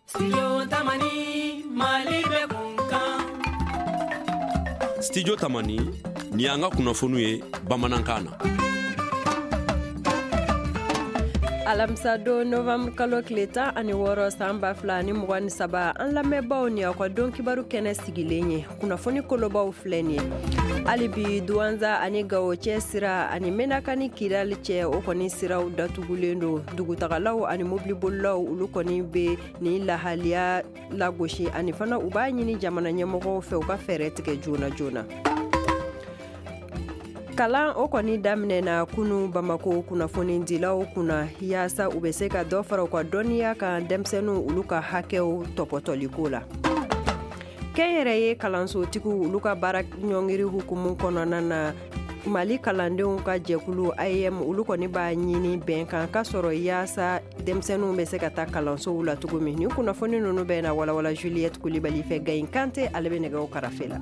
Studio Tamani, Mali bɛ kunkan. Studio Tamani, nin y'an ka kunnafoniw ye bamanankan na. Alamisa don, novembre kalo tile 16 san 2023, an lamɛnbaaw, ni aw ka don kibaru kɛnɛ sigilen ye. Kunnafoni kolobaw filɛ nin ye: hali bi, Duwanza ani Gawo cɛ sira ani Menaka ni Kidali cɛ, o kɔni siraw datugulen don. Dugutagalaw ani mobilibolilaw, olu kɔni bɛ nin lahaliya lagosi, ani fana u b'a ɲini jamana ɲɛmɔgɔw fɛ u ka fɛɛrɛ tigɛ joona joona. Kalan o kɔni daminɛna kunu Bamako kunnafonidilaw kunna, yaasa u bɛ se ka dɔ fara u ka dɔnniya kan denmisɛnninw olu ka hakɛw tɔpɔtɔliko la. Kɛnyɛrɛye kalansotigiw olu ka baara ɲɔngiri hukumu kɔnɔna na, Mali kalandenw ka jɛkulu AEEM, olu kɔni b'a ɲini bɛnkan ka sɔrɔ yaasa denmisɛnninw bɛ se ka taa kalansow la cogo min. Nin kunnafoni ninnu bɛ na walawala Juliette Kulibali fɛ. Gayin Kante, ale bɛ nɛgɛw karafe la.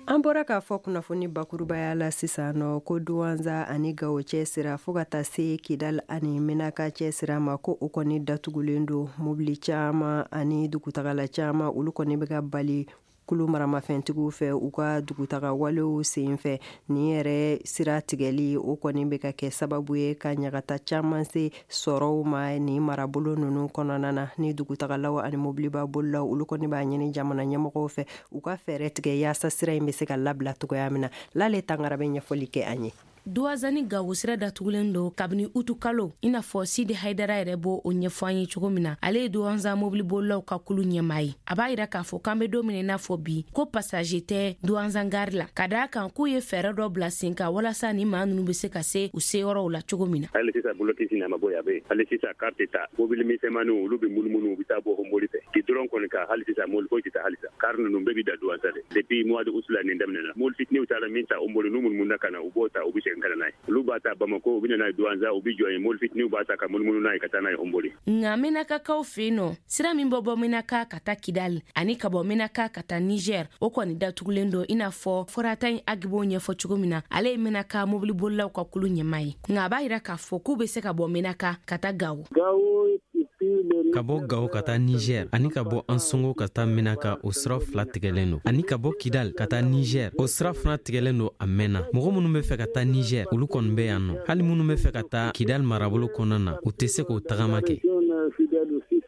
An bɔra k'a fɔ kunnafoni bakurubaya la sisan nɔ ko Duwanza ani Gawo cɛ sira, fo ka taa se Kidal ani Menaka cɛ sira ma, ko o kɔni datugulen don. Mobili caman ani dugutagala caman, olu kɔni bɛ ka bali kulu maramafɛntigiw fɛ u ka dugutaga walew sen fɛ. Nin yɛrɛ sira tigɛli, o kɔni bɛ ka kɛ sababu ye ka ɲagata caman se sɔrɔw ma nin marabolo ninnu kɔnɔna na. Ni dugutagalaw ani mobiliba bolilaw, olu kɔni b'a ɲini jamana ɲɛmɔgɔw fɛ u ka fɛɛrɛ tigɛ yaasa sira in bɛ se ka labila cogoya min na. Lale Tangara bɛ ɲɛfɔli kɛ an ye. Duwanza ni Gawo sira datugulen don kabini utu kalo, i n'a fɔ Sidi Haidara yɛrɛ b'o o ɲɛfɔ an ye cogo min na. Ale ye Duwanza mobilibolilaw ka kulu ɲɛmaa ye. A b'a yira k'a fɔ k'an be don min na i n'a fɔ bi, ko passager tɛ Duwanza gari la, ka daa kan k'u ye fɛɛrɛ dɔ bila sen kan walasa ni maa nunu be se ka se u seyɔrɔw la cogo min na. Hali sisan, blocus nin a ma bɔ yen, a bɛ yen hali sisan. Car tɛ taa, mobili misɛnmaninw, olu bɛ munumunu, u bɛ taa bɔ Homboli fɛ goudron kɔni kan. Hali sisan, mobili foyi tɛ taa halisa. Car ninnu bɛɛ bɛ da Duwanza de depuis mois de août la nin daminɛna. Mobili fitininw taara min ta Homboli, n'u munumunu ka na, u b'o ta, u bɛ segin ka na n'a ye. Olu b'a ta Bamako, u bɛ na n'a ye Duwanza, u bɛ jɔ yen, mobili fitininw b'a ta ka munumunu n'a ye ka taa n'a ye Homboli. Nka Menakakaw fɛ yen nɔ, sira min bɔ bɔ Menaka ka taa Kidali ani ka bɔ Menaka ka taa Niger, o kɔni datugulen don, i n'a fɔ Fɔrata Agibo ɲɛfɔ cogo min na. Ale ye Menaka mobilibolilaw ka kulu ɲɛmaa ye. Nka a b'a yira k'a fɔ k'u bɛ se ka bɔ Menaka ka taa Gawo. Ka bɔ Gawo ka taa Niger ani ka bɔ Ansongo ka taa Menaka, o sira fila tigɛlen don. Ani ka bɔ Kidal ka taa Niger, o sira fana tigɛlen don a mɛnna. Mɔgɔ minnu bɛ fɛ ka taa Niger, olu kɔni bɛ yan nɔ. Hali minnu bɛ fɛ ka taa Kidal marabolo kɔnɔna na, u tɛ se k'o tagama kɛ.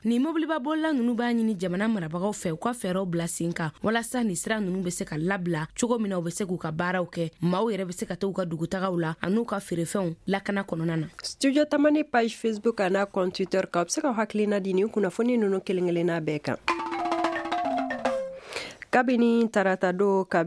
Nin mobilibabolila nunu b'a ɲini jamana marabagaw fɛ u ka fɛɛrɛw bila sen kan walasa nin sira nunu bɛ se ka labila cogo min na, u bɛ se k'u ka baaraw kɛ, maaw yɛrɛ bɛ se ka taa u ka dugutagaw la an'u ka feerefɛnw lakana kɔnɔna na. Studio Tamani page Facebook a n'a compte Twitter kan, a bɛ se ka hakilina di nin kunnafoni ninnu kelen kelenna bɛɛ kan. Kabini tarata don ka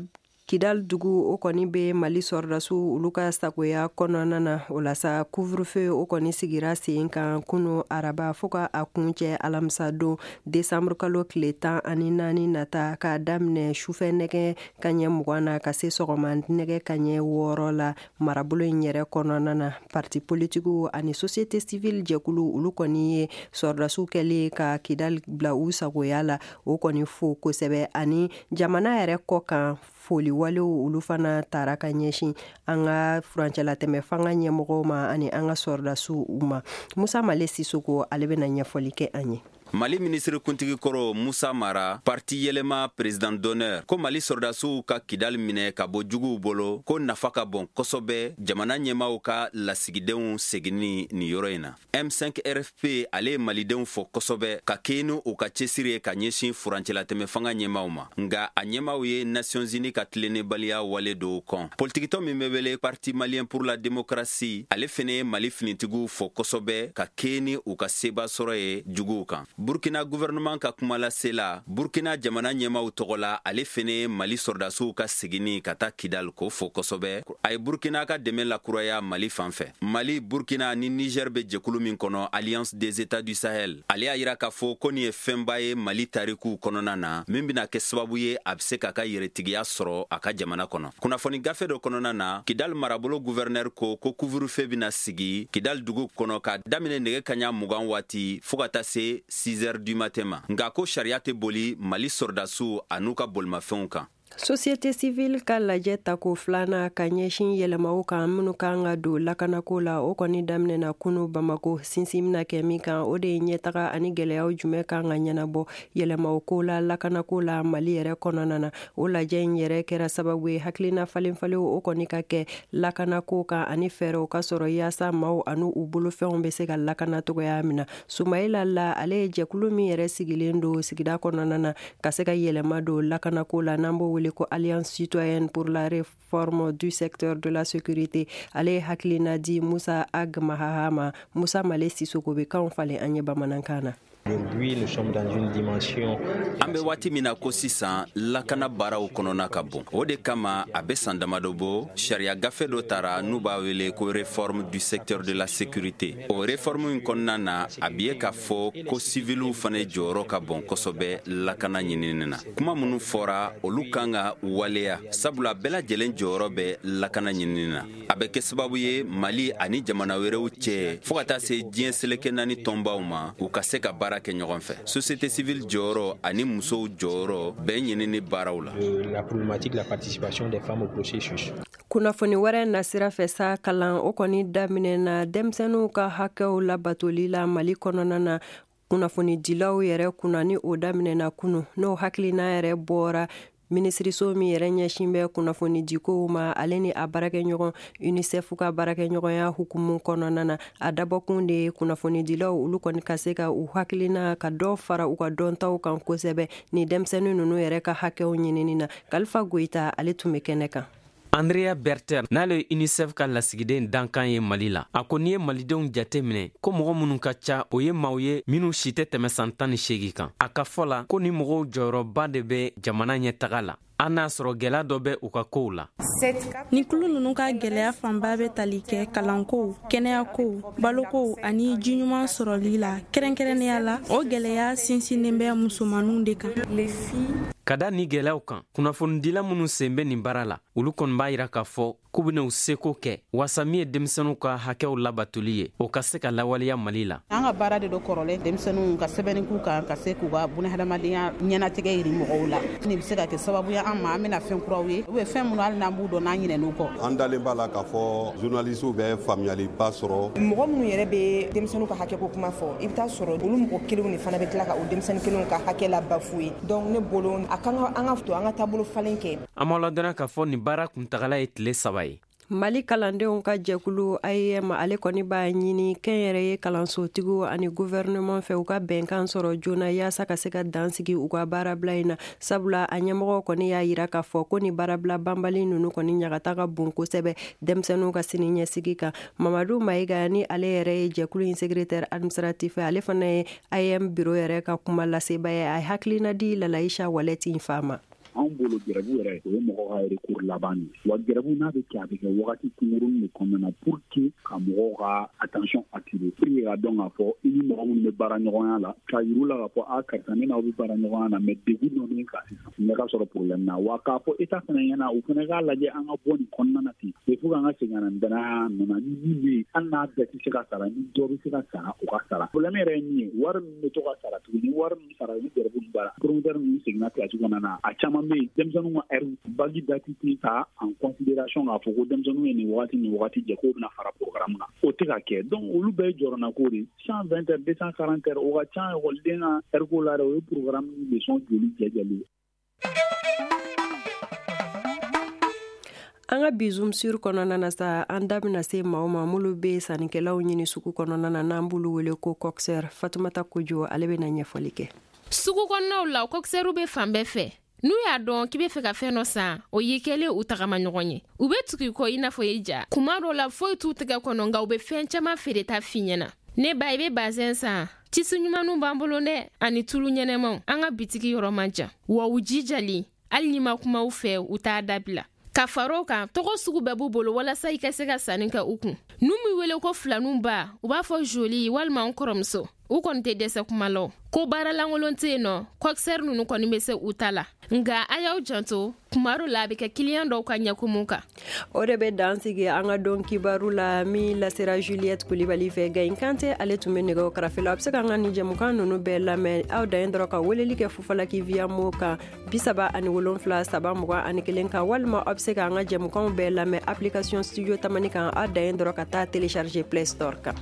Kidal dugu, o kɔni bɛ Mali sɔrɔdasiw olu ka sagoya kɔnɔna na. O la sa, couvre-feu o kɔni sigira sen kan kunu araba fo ka a kuncɛ alamisa don, desanburu kalo tile 14 nata, k'a daminɛ sufɛ nɛgɛ kaɲɛ 20 na ka se sɔgɔma nɛgɛ kaɲɛ 6 la marabolo in yɛrɛ kɔnɔna na. Parti politikiw ani société civile jɛkulu, olu kɔni ye sɔrɔdasiw kɛlen ka Kidal bila u sagoya la, o kɔni fo kosɛbɛ. Ani jamana yɛrɛ kɔ kan, foli walew olu fana taara ka ɲɛsin an ka furancɛlatɛmɛ fanga ɲɛmɔgɔw ma ani an ka sɔrɔdasiw ma. Musa Male Sisoko, ale bɛna ɲɛfɔli kɛ an ye. Mali minisiri kuntigi kɔrɔ Musa Mara, parti Yɛlɛma président d'honneur, ko Mali sɔrɔdasiw ka Kidali minɛ ka bɔ juguw bolo, ko nafa ka bon kosɛbɛ jamana ɲɛmaw ka lasigidenw seginni nin yɔrɔ in na. M5 RFP, ale ye malidenw fɔ kosɛbɛ ka kɛɲɛ ni u ka cɛsiri ye ka ɲɛsin furancɛlatɛmɛ fanga ɲɛmaw ma. Nga a ɲɛmaw ye Nations Unies ka tilennebaliya wale dɔw kɔn. Politikitɔ min bɛ wele Parti malien pour la démocratie, ale fɛnɛ ye Mali finitigiw fɔ kosɛbɛ ka kɛɲɛ ni u ka seba sɔrɔ ye juguw kan. Burkina gouvernement ka kumalasela Burkina jamana ɲɛmaw tɔgɔ la, ale fɛnɛ ye Mali sɔrɔdasiw ka seginni ka taa Kidal k'o fɔ kosɛbɛ. A ye Burkina ka dɛmɛ lakuraya Mali fan fɛ. Mali, Burkina ni Niger bɛ jɛkulu min kɔnɔ, Alliance des États du Sahel, ale y'a yira k'a fɔ ko nin ye fɛnba ye Mali tarikuw kɔnɔna na, min bɛna kɛ sababu ye a bɛ se k'a ka yɛrɛtigiya sɔrɔ a ka jamana kɔnɔ. Kunnafoni gafe dɔ kɔnɔna na, Kidal marabolo gouverneur ko ko couvre-feu bɛna sigi Kidal dugu kɔnɔ ka daminɛ nɛgɛ kaɲa 20 waati fɔɔ ka taa se 6 heures du matin ma. Nka ko sariya tɛ boli Mali sɔrɔdasiw an'u ka bolimafɛnw kan. Société civile ka lajɛ tako filanan ka ɲɛsin yɛlɛmaw kan minnu kan ka don lakanako la, o kɔni daminɛna kunu Bamako. Sinsin bɛna kɛ min kan, o de ye ɲɛtaga ani gɛlɛyaw jumɛn kan ka ɲɛnabɔ yɛlɛmaw ko la lakanako la Mali yɛrɛ kɔnɔna na. O lajɛ in yɛrɛ kɛra sababu ye hakilina falenfalenw o kɔni ka kɛ lakanako kan ani fɛɛrɛw ka sɔrɔ yaasa maaw ani u bolofɛnw bɛ se ka lakana cogoya min na. Sumayila La, ale ye jɛkulu min yɛrɛ sigilen don sigida kɔnɔna na ka se ka yɛlɛma don lakanako la, n'an b'o wele ko Alliance citoyenne pour la réforme du secteur de la sécurité, ale ye hakilina di Musa Ag Mahaha ma. Musa Male Sisoko bɛ kanw falen an ye bamanankan na. Aujourd'hui, nous sommes dans une dimension. An bɛ waati min na ko sisan, lakana baaraw kɔnɔna ka bon. O de kama, a bɛ san damadɔ bɔ, sariya gafe dɔ tara n'u b'a wele ko réforme du secteur de la sécurité. O réforme in kɔnɔna na, a bi ye k'a fɔ ko siviliw fana jɔyɔrɔ ka bon kosɛbɛ lakana ɲinini na. Kuma minnu fɔra, olu kan ka waleya, sabula bɛɛ lajɛlen jɔyɔrɔ bɛ lakana ɲinini na. A bɛ kɛ sababu ye Mali ani jamana wɛrɛw cɛ, fɔɔ ka taa se diɲɛ seleke naani tɔnbaw ma, u ka se ka baara kɛ ɲɔgɔn fɛ. Société civile jɔyɔrɔ ani musow jɔyɔrɔ bɛɛ ɲinini baaraw la. La problématique, la participation des femmes au processus. Kunnafoni wɛrɛ nasira fɛ sa, kalan o kɔni daminɛna denmisɛnninw ka hakɛw labatoli la Mali kɔnɔna na kunnafonidilaw yɛrɛ kunna, ni o daminɛna kunu, n'o hakilina yɛrɛ bɔra minisiriso min yɛrɛ ɲɛsin bɛ kunnafonidikow ma, ale ni a baarakɛɲɔgɔn UNICEF ka baarakɛɲɔgɔnya hukumu kɔnɔna na. A dabɔkun de ye kunnafonidilaw olu kɔni ka se ka u hakilina ka dɔ fara u ka dɔntaw kan kosɛbɛ ni denmisɛnnin ninnu yɛrɛ ka hakɛw ɲinini na. Kalifa Goyita, ale tun bɛ kɛnɛ kan. Andrea Berter, n'ale ye UNICEF ka lasigiden dankan ye Mali la, a ko n'i ye malidenw jate minɛ ko mɔgɔ minnu ka ca, o ye maaw ye minw si tɛ tɛmɛ san 18 kan. A ka fɔ la ko ni mɔgɔw jɔyɔrɔba de bɛ jamana ɲɛtaga la, an n'a sɔrɔ gwɛlɛya dɔ bɛ u ka kow la. Ni kulu nunu ka gwɛlɛya fanba bɛ tali kɛ kalankow, kɛnɛyakow, balokow ani jiɲuman sɔrɔli la. Kɛrɛnkɛrɛnnenya la, o gwɛlɛya sinsinnen bɛ musomaninw de kan. Ka da ni gwɛlɛyaw kan, kunnafonidila minnu sen bɛ nin baara la, olu kɔni b'a yira k'a fɔ k'u bɛna u seko kɛ waasa min ye denmisɛnninw ka hakɛw labatoli ye, o ka se ka lawaleya Mali la. An ka baara de do kɔrɔlen, denmisɛnninw ka sɛbɛnni k'u kan ka se k'u ka bunahadamadenya ɲɛnatigɛ yiri mɔgɔw la. Nin bɛ se ka kɛ sababu ye an ma, an bɛna fɛn kuraw ye ou bien fɛn minnu hali n'an b'u dɔn, n'an ɲinɛn'u kɔ. An dalen b'a la k'a fɔ journalistew bɛ faamuyaliba sɔrɔ. Mɔgɔ minnu yɛrɛ bɛ denmisɛnninw ka hakɛ ko kuma fɔ, i bɛ taa sɔrɔ olu mɔgɔ kelenw de fana bɛ tila ka o denmisɛnnin kelenw ka hakɛ la bafouer. Donc ne bolo, a kan ka an ka to an ka taabolo falen kɛ. An b'aw ladɔnniya k'a fɔ nin baara kuntagala ye tile 3 ye. Mali kalandenw ka jɛkulu AEM, ale kɔni b'a ɲini kɛnyɛrɛye kalansotigiw ani gouvernement fɛ, u ka bɛnkan sɔrɔ joona yaasa ka se ka dan sigi u ka baarabila in na, sabula a ɲɛmɔgɔw kɔni y'a yira k'a fɔ ko ni baarabila banbali ninnu kɔni ɲagata ka bon kosɛbɛ denmisɛnninw ka sini ɲɛsigi kan. Mamadu Mayiga, ni ale yɛrɛ ye jɛkulu in secrétaire administratif, ale fana ye AEM bureau yɛrɛ ka kuma laseba ye, a ye hakilina di Lalayisa Walɛti fa ma. Anw bolo, grève yɛrɛ, o ye mɔgɔ ka recours laban de. Wa grève n'a bɛ kɛ, a bɛ kɛ wagati kunkurunin de kɔnɔna na pour que ka mɔgɔw ka attention attirer, pour que ka dɔn k'a fɔ i ni mɔgɔ minnu bɛ baara ɲɔgɔnya la, k'a yir'u la k'a fɔ a karisa, ne n'aw bɛ baara ɲɔgɔnya na, mais degun dɔ bɛ kan sisan, ɲɛ ka sɔrɔ problème na. Wa k'a fɔ état fana ɲɛna, u fana k'a lajɛ an ka bɔ nin kɔnɔna na ten. Il faut k'an ka segin ka na nin danaya nɔ na. Ni min bɛ yen, hali n'a bɛɛ tɛ se ka sara, ni dɔ bɛ se ka sara, o ka sara. Problème yɛrɛ ye min ye, wari min bɛ to ka sara tuguni, wari min sara ni grève ninnu banna, promoteur ninnu seginna classe kɔnɔna na, a caman bɛ yen, denmisɛnninw ka heure bac date tɛ ta en considération k'a fɔ ko denmisɛnninw ye nin wagati nin wagati jɛ k'o bɛna fara programme kan, o tɛ ka kɛ. Donc olu bɛɛ ye jɔrɔnako de. 120 heures, 240 heures, o ka ca ekɔliden ka heure ko la dɛ. O ye programme leçon joli jɛjɛlen. An ka bi Zoom sur kɔnɔna na sa, an da bɛna se maaw ma minnu bɛ sannikɛlaw ɲini sugu kɔnɔna na, n'an b'olu wele ko coxeur. Fatumata Kojo, ale bɛna ɲɛfɔli kɛ. Sugu kɔnɔnaw la, coxeurw bɛ fan bɛɛ fɛ. N'u y'a dɔn k'i be fɛ ka fɛn dɔ san, o y'i kɛlen u tagama ɲɔgɔn ye. U be tugu i kɔ i n'a fɔ i ja. Kuma dɔ la, foyi t'u tɛgɛ kɔnɔ, nka u be fɛn caman feereta f'i ɲɛna. Ne ba, i be bazɛn san? Tisi ɲumanw b'an bolo dɛ, ani tulu ɲɛnɛmaw. An ka bitigi yɔrɔ man jan wa u jijalen, hali n'i ma kuma u fɛ, u t'a dabila. Ka far'o kan, tɔgɔ sugu bɛɛ b'u bolo walasa i ka se ka sanni kɛ u kun. N'u m'u wele ko filaninw ba, u b'a fɔ joli walima n kɔrɔmuso. U kɔni tɛ dɛsɛ kuma la, ko baara lankolon tɛ yen nɔ, kɔkisɛri ninnu kɔni bɛ se u ta la. Nka a y'aw janto, kuma dɔ la a bɛ kɛ kiliyan dɔw ka ɲɛkumu kan. O de bɛ dan sigi an ka don kibaru la min lasera Juliette Kulibali fɛ. Gayin Kante ale tun bɛ nɛgɛw karafe la. A bɛ se k'an ka nin jɛmukan ninnu bɛɛ lamɛn, aw dan ye dɔrɔn ka weleli kɛ Fufalaki via mo kan 37 321 kan, walima aw bɛ se k'an ka jɛmukanw bɛɛ lamɛn application Studio Tamani kan, aw dan ye dɔrɔn ka taa télécharger Play Store kan.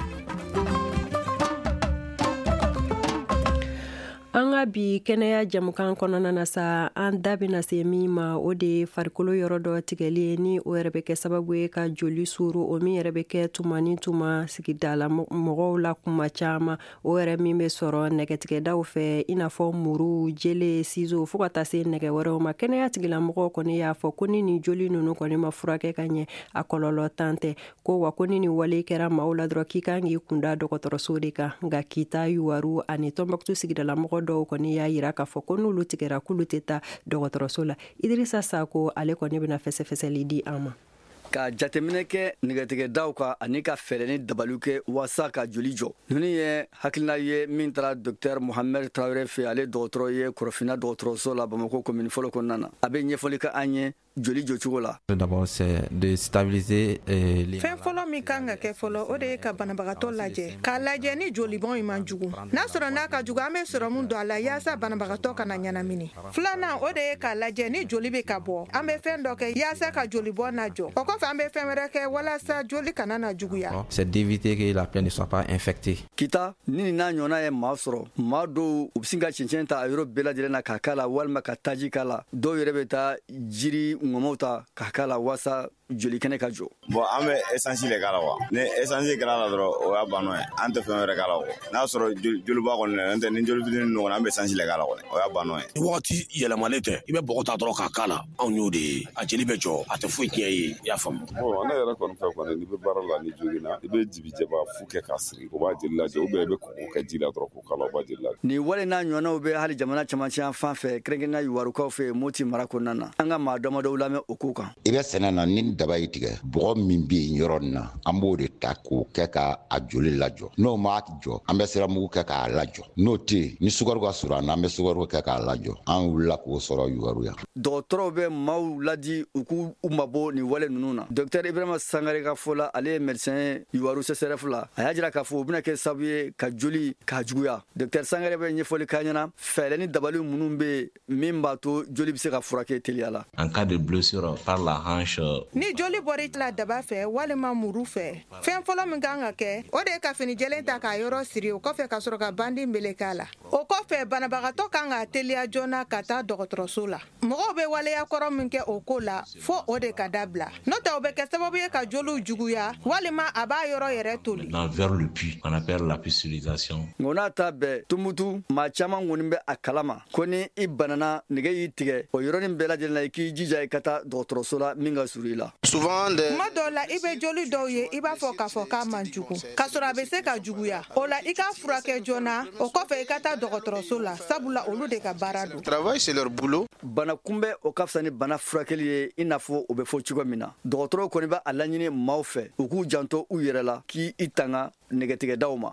An ka bi kɛnɛya jamukan kɔnɔna na sa, an da bɛna se min ma, o de ye farikolo yɔrɔ dɔ tigɛli ye, ni o yɛrɛ bɛ kɛ sababu ye ka joli suru, o min yɛrɛ bɛ kɛ tuma ni tuma sigidala mɔgɔw la kuma caman, o yɛrɛ min bɛ sɔrɔ nɛgɛtigɛdaw fɛ, i n'a fɔ muru, jele, ciseau, fo ka taa se nɛgɛ wɛrɛw ma. Kɛnɛya tigilamɔgɔw kɔni y'a fɔ ko ni nin joli ninnu kɔni ma furakɛ ka ɲɛ, a kɔlɔlɔ tan tɛ ko wa ko ni nin wale kɛra maaw la dɔrɔn k'i kan k'i kunda dɔgɔtɔrɔso de kan. Nka Kita, Yuwaru ani Tɔnbɔkutu sigidalamɔgɔ dɔw kɔni y'a yira k'a fɔ ko n'olu tigɛra k'olu tɛ taa dɔgɔtɔrɔso la. Idirisa Sako ale kɔni bɛna fɛsɛfɛsɛli di an ma. Ka jateminɛ kɛ nɛgɛtigɛdaw kan ani ka fɛɛrɛ ni dabaliw kɛ walasa ka joli jɔ, ninnu ye hakilina ye min taara docteur Mohamed Traoré fɛ. Ale dɔgɔtɔrɔ ye Kɔrɔfinna dɔgɔtɔrɔso la Bamakɔ commune fɔlɔ kɔnɔna na. A bɛ ɲɛfɔli kɛ an ye joli jɔcogo la. D'abord, c'est de stabiliser les Fɛn fɔlɔ min kan ka kɛ fɔlɔ, o de ye ka banabagatɔ lajɛ, k'a lajɛ ni jolibɔn in man jugu. N'a sɔrɔ n'a ka jugu, an bɛ sɔrɔmu don a la yaasa banabagatɔ kana ɲɛnamini. Filanan, o de ye k'a lajɛ ni joli bɛ ka bɔ, an bɛ fɛn dɔ kɛ yaasa ka jolibɔn lajɔ. O kɔfɛ, an bɛ fɛn wɛrɛ kɛ walasa joli kana na juguya. C'est d'éviter que la plaie ne soit pas infectée. Kita, ni n'a ɲɔgɔnna ye maa sɔrɔ, maa dɔw u bɛ sin ka cɛncɛn ta a yɔrɔ bɛɛ lajɛlen na k'a k'a la, walima ka taji k'a la. Dɔw yɛrɛ bɛ taa jiri ŋɔmɔw ta k'a k'a la walasa joli kɛnɛ ka jɔ. Bon, an bɛ essence de k'a la wa. Ni essence kɛra la dɔrɔn, o y'a banno ye. An tɛ fɛn wɛrɛ k'a la o. N'a sɔrɔ joliba kɔni n'o tɛ, ni joli fitinin ninnu kɔni, an bɛ essence de k'a la kɔni, o y'a banno ye. Ni wagati yɛlɛmalen tɛ, i bɛ bɔgɔ ta dɔrɔn k'a k'a la. Anw y'o de ye, a jeli bɛ jɔ, a tɛ foyi tiɲɛ ye, i y'a faamu. Bon, ne yɛrɛ kɔni fɛ kɔni, n'i bɛ baara la ni joginna, i bɛ jibijɛba fu kɛ k'a siri, o b'a jeli lajɔ, ou bien i bɛ kɔgɔ kɛ ji la dɔrɔn k'o k'a la, o b'a jeli lajɔ. Nin wale n'a ɲɔgɔnnaw bɛ hali jamana camancɛ yan fan fɛ, kɛrɛnkɛrɛnnenya Yuwarukaw fɛ Moti mara kɔnɔna na. An ka maa damadɔw lamɛn o ko kan. I bɛ sɛnɛ na, ni daba y'i tigɛ, bɔgɔ min bɛ yen yɔrɔ nin na, an b'o de ta k'o kɛ ka a joli lajɔ. N'o m'a jɔ, an bɛ siramugu kɛ k'a lajɔ. N'o tɛ yen, ni sukaro ka surun an na, an bɛ sukaro kɛ k'a lajɔ. An wulila k'o sɔrɔ Yuwaru yan. Dɔgɔtɔrɔw bɛ maaw ladi u k'u mabɔ nin wale ninnu na. Docteur Ibrahima Sangare ka fɔ la, ale ye médecin Yuwaru CSRF la, a y'a jira k'a fɔ o bɛna kɛ sababu ye ka joli k'a juguya. Docteur Sangare bɛ ɲɛfɔli k'an ɲɛna fɛɛrɛ ni dabali minnu bɛ yen min b'a to joli bɛ se ka furakɛ teliya la. En cas de blessure par la hanche, Ni joli bɔra i la daba fɛ walima muru fɛ, fɛn fɔlɔ min kan ka kɛ, o de ye ka fini jɛlen ta k'a yɔrɔ siri. O kɔfɛ, ka sɔrɔ ka bandi meleke a la. O kɔfɛ, banabagatɔ kan ka teliya joona ka taa dɔgɔtɔrɔso la. Mɔgɔw bɛ waleya kɔrɔ min kɛ o ko la, fo o de ka dabila, n'o tɛ o bɛ kɛ sababu ye ka joliw juguya walima a b'a yɔrɔ yɛrɛ toli. Vers le pus, qu'on appelle la pustulisation. Nka n'a ta bɛɛ, Tumutu maa caman kɔni bɛ a kalama ko ni i banana, nɛgɛ y'i tigɛ, o yɔrɔnin bɛɛ lajɛlen na, i k'i jija i ka taa dɔgɔtɔrɔso la min ka surun i la. Tuma dɔw la, i bɛ joli dɔw ye, i b'a fɔ k'a fɔ k'a man jugu, k'a sɔrɔ a bɛ se ka juguya. O la, i k'a furakɛ joona. O kɔfɛ, i ka taa dɔgɔtɔrɔso la, sabula olu de ka baara don. Bana kunbɛ, o ka fisa ni bana furakɛli ye, i n'a fɔ o bɛ fɔ cogo min na. Dɔgɔtɔrɔw kɔni bɛ a laɲini maaw fɛ u k'u janto u yɛrɛ la, k'i i tanga nɛgɛtigɛdaw ma.